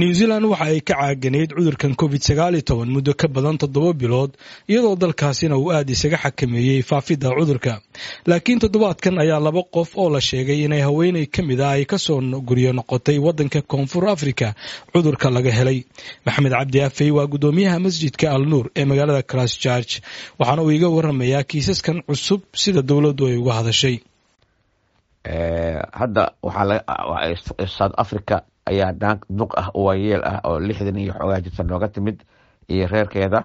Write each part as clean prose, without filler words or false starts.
New Zealand waxa ay ka caaganayd cudurkan COVID-19 muddo ka badan 7 bilood, iyadoo dalkaasina uu aad isaga xakameeyey faafidda cudurka. Laakiin toddobaadkan ayaa laba qof oo la sheegay inay haweeney ka mid ah ay kasoo guryo noqotay waddanka Koonfur Africa cudurka laga helay. Maxamed Cabdi Afey waa guddoomiyaha masjidka Al Nuur ee magaalada Christchurch, waxaana uu iga waramayaa kiisaskan cusub sida dowladdu ay uga hadashay. Hadda waxaa South Africa ayaa naag duq ah oo waayeel ah oo 60 iyo xoogaa jirta nooga timid iyo reerkeeda.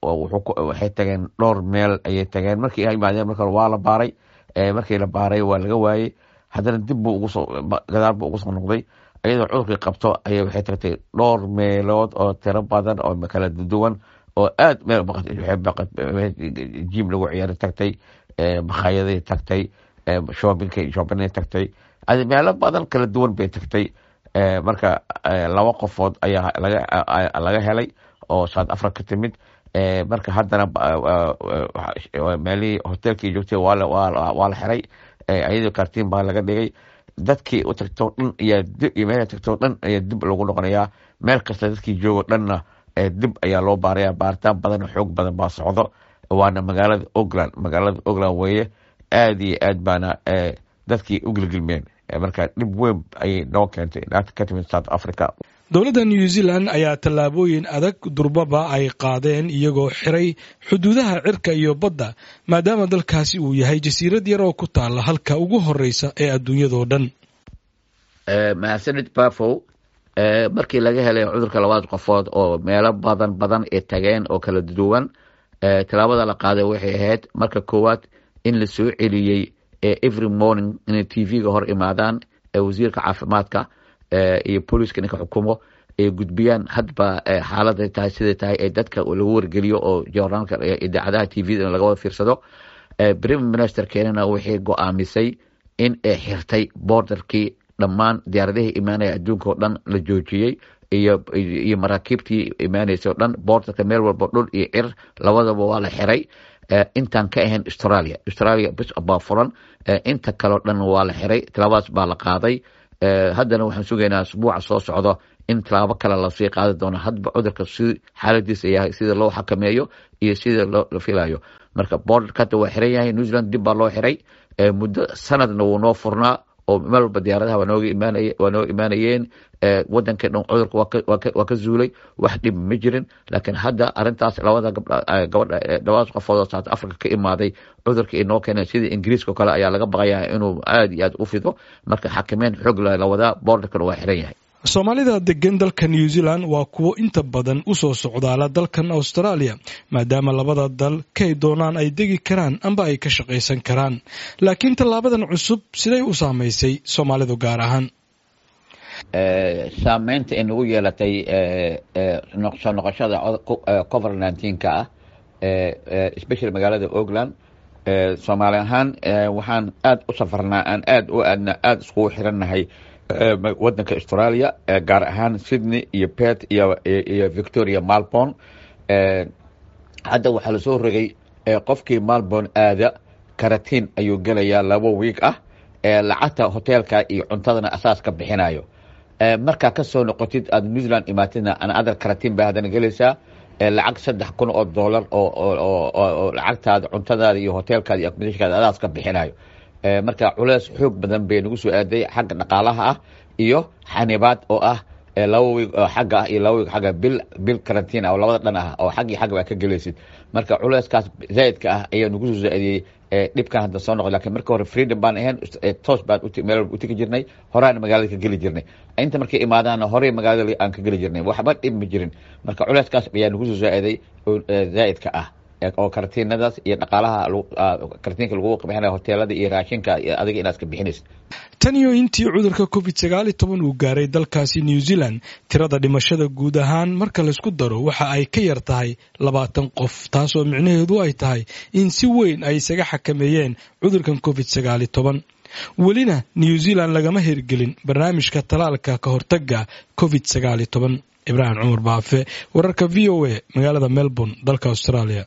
Waxay tageen dhowr meel ayay tageen. Markii ay imaadeen, marka waa la baaray. Markii la baaray waa laga waayey. Haddana dib buu ugusoo gadaal buu ugu soo noqday iyadoo cudurkii qabto ayay. Waxay tagtay dhowr meelood oo tiro badan oo kala duwan oo aad meel gym lagu ciyaari tagtay, makhaayadaday tagtay, shoppingka shoppingay tagtay, meelo badan kala duwan bay tagtay. Marka laba qofood ayaa laga helay oo South Africa ka timid. Marka haddana meelihii hotelkii joogtay waa la xiray, iyadoo karantiin baa laga dhigay. Dadkii u tagtoo dhan iyo meel tagtoo dhan ayaa dib lagu noqonayaa. Meel kasta dadkii joogo dhanna dib ayaa loo baaraya. Baaritaan badan oo xoog badan baa socdo, waana magaalada Auckland. Magaalada Auckland weeye. Aad iyo aad baana dadkii u gilgilmeen. Marka dhib weyn ayay noo keentay naagta ka timid South Africa. Dowladda New Zealand ayaa tallaabooyin adag durbaba ay qaadeen, iyagoo xiray xuduudaha cirka iyo badda, maadaama dalkaasi uu yahay jasiirad yar oo ku taalla halka ugu horeysa ee adduunyadoo dhan. Mahadsanid, Bafow. Markii laga helay cudurka labaad qofood oo meelo badan badan ay tageen oo kala duwan, tallaabada la qaaday waxay ahayd marka koowaad in la soo celiyey every morning inay TV-ga hor imaadaan wasiirka caafimaadka iyo booliiska ninka xukumo, ay gudbiyaan hadba xaaladay tahay, siday tahay, ee dadka lagu wargeliyo oo joornaalka, idaacadaha, TV-da laga wada fiirsado. Prime minister keenana waxay go-aamisay in ay xirtay borderkii, dhammaan diyaaradihii imaanaya adduunka oo dhan la joojiyey iyo maraakiibtii imaanaysa o dhan. Borderka meel walba, dhul iyo cir labadaba waa la xiray, intaan ka ahayn Australia. Australia bis baa furan, inta kaleo dhan waa la xiray. Talaabadaas baa la qaaday. Haddana waxaan sugaynaa asbuuca soo socdo in tallaabo kale lasii qaadi doono, hadba cudurka si xaaladiisa yahay, sida loo xakameeyo iyo sida loo filayo. Marka borderka hadda waa xiran yahay New Zealand, dib baa loo xiray. Muddo sanadna wuu noo furnaa oo meel walba diyaaradaha waa nooga imaanayeen. Wadanka dhan cudurka waa ka zuulay, wax dhib ma jirin. Laakiin hadda arintaas labada gabdha gabadha labadaas qofood oo South Africa ka imaaday cudurka inoo keenay, sida Ingiriiska oo kale ayaa laga baqayaa inuu aad iyo aad u fido. Marka xakameyn xoog la wadaa, borderkana waa xiran yahay. Soomaalida degan dalka New Zealand waa kuwo inta badan u soo socdaala dalkan Australia, maadaama labada dal kay doonaan ay degi karaan amba ay ka shaqaysan karaan. Laakiin tallaabadan cusub siday u saamaysay Soomaalidu gaar ahaan? Saameynta ay nagu yeelatay soo noqoshada COVID-19-ka ah, especially magaalada Auckland, Soomaali ahaan waxaan aada u safarnaa, aan aada u aadna, aada iskugu xirannahay wadanka Australia, gaar ahaan Sydney iyo Perth iyo Victoria, Melbourne. Hadda waxaa lasoo rogay qofkii Melbourne aada karatiin ayuu gelayaa 2 week ah, lacagta hoteelka iyo cuntadana asaas ka bixinayo. Markaa kasoo noqotid aada New Zealand imaatidna, another karatiin baa haddana gelaysaa, lacag $3,000 oo lacagtaada, cuntadaada iyo hoteelkaada iyo accommodationkaada adaas ka bixinayo. Marka culeys xoog badan bay nagu soo aaday xagga dhaqaalaha ah iyo xanibaad oo ah 2 week oo xagga ah iyo 2 week xagga, bil karantiin ah oo labada dhan ah oo xag iyo xagga baa ka gelaysid. Marka culeyskaas zaa'idka ah ayaa nagu soo zaa'idiyey dhibkan hadda soo noqday. Lakin marka hore freedom baan ahayn, toos baan meel walba utegi jirnay, horaana magaalada ka geli jirnay. Inta markay imaadaana horey magaalada aan ka geli jirnay, waxba dhib ma jirin. Marka culeyskaas ayaa nagu soo zaa'iday zaa'idka ah oo karantiinadaas iyo dhaqaalaha karantiinka lagu bixinayo, hoteelada iyo raashinka iyo adiga inaad iska bixinaysid. Tan iyo intii cudurka COVID-19 uu gaaray dalkaasi New Zealand, tirada dhimashada guud ahaan marka laysku daro waxa ay ka yar tahay 20 qof, taasoo micnaheedu ay tahay in si weyn ay isaga xakameeyeen cudurkan COVID-19. Welina New Zealand lagama hirgelin barnaamijka talaalka ka hortaga COVID-19. Ibraahim Cumar Baafe, wararka VOA, magaalada Melbourne, dalka Australia.